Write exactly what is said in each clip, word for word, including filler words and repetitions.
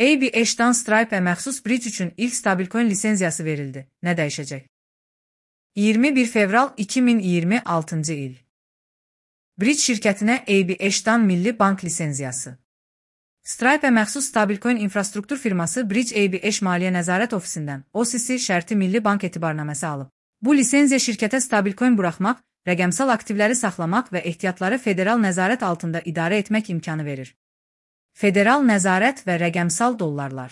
A B H-dan Stripe-ə məxsus Bridge üçün ilk stablecoin lisenziyası verildi. Nə dəyişəcək? iyirmi bir fevral iki min iyirmi altıncı il. Bridge şirkətinə A B H-dan Milli Bank lisenziyası. Stripe-ə məxsus stablecoin infrastruktur firması Bridge A B H Maliyyə Nəzarət Ofisindən O C C şərti Milli Bank etibarnaməsi alıb. Bu lisenziya şirkətə stablecoin buraxmaq, rəqəmsal aktivləri saxlamaq və ehtiyatları federal nəzarət altında idarə etmək imkanı verir. Federal nəzarət və rəqəmsal dollarlar.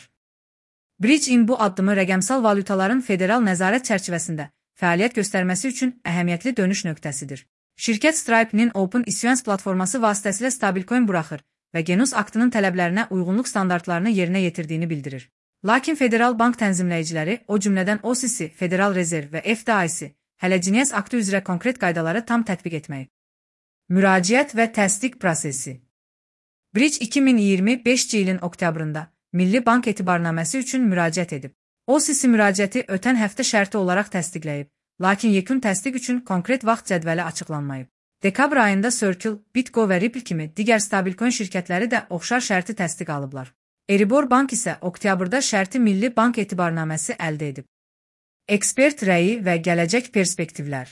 Bridge-in bu addımı rəqəmsal valyutaların federal nəzarət çərçivəsində fəaliyyət göstərməsi üçün əhəmiyyətli dönüş nöqtəsidir. Şirkət Stripe-nin Open Issuance platforması vasitəsilə stablecoin buraxır və Genus aktının tələblərinə uyğunluq standartlarını yerinə yetirdiyini bildirir. Lakin federal bank tənzimləyiciləri, o cümlədən O C C, Federal Rezerv və F D I C, hələ Cinias aktı üzrə konkret qaydaları tam tətbiq etməyib. Müraciət və təsdiq prosesi. Bridge iki min iyirmi beşinci ilin oktyabrında Milli Bank etibarnaməsi üçün müraciət edib. O C C müraciəti ötən həftə şərti olaraq təsdiqləyib, lakin yekun təsdiq üçün konkret vaxt cədvəli açıqlanmayıb. Dekabr ayında Circle, Bitgo və Ripple kimi digər stablecoin şirkətləri də oxşar şərti təsdiq alıblar. Erebor Bank isə oktyabrda şərti Milli Bank etibarnaməsi əldə edib. Ekspert rəyi və gələcək perspektivlər.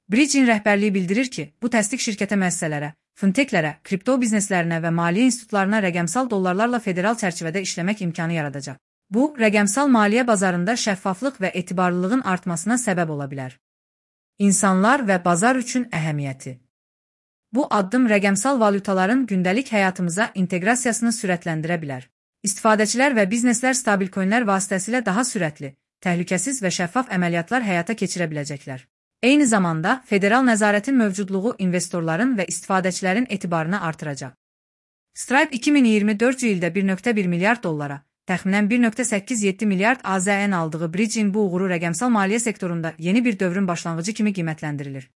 Bridge-in rəhbərliyi bildirir ki, bu təsdiq şirkətə müəssisələrə, fintechlərə, kripto bizneslərinə və maliyyə institutlarına rəqəmsal dollarlarla federal çərçivədə işləmək imkanı yaradacaq. Bu, rəqəmsal maliyyə bazarında şəffaflıq və etibarlılığın artmasına səbəb ola bilər. İnsanlar və bazar üçün əhəmiyyəti. Bu addım rəqəmsal valyutaların gündəlik həyatımıza inteqrasiyasını sürətləndirə bilər. İstifadəçilər və bizneslər stablecoinlər vasitəsilə daha sürətli, təhlükəsiz və şəffaf əməliyyatlar həyata keçirə biləcəklər. Eyni zamanda, federal nəzarətin mövcudluğu investorların və istifadəçilərin etibarını artıracaq. Stripe iki min iyirmi dördüncü ildə bir nöqtə bir milyard dollara, təxminən bir nöqtə səkkiz yeddi milyard A Z N aldığı Bridge-in bu uğuru rəqəmsal maliyyə sektorunda yeni bir dövrün başlanğıcı kimi qiymətləndirilir.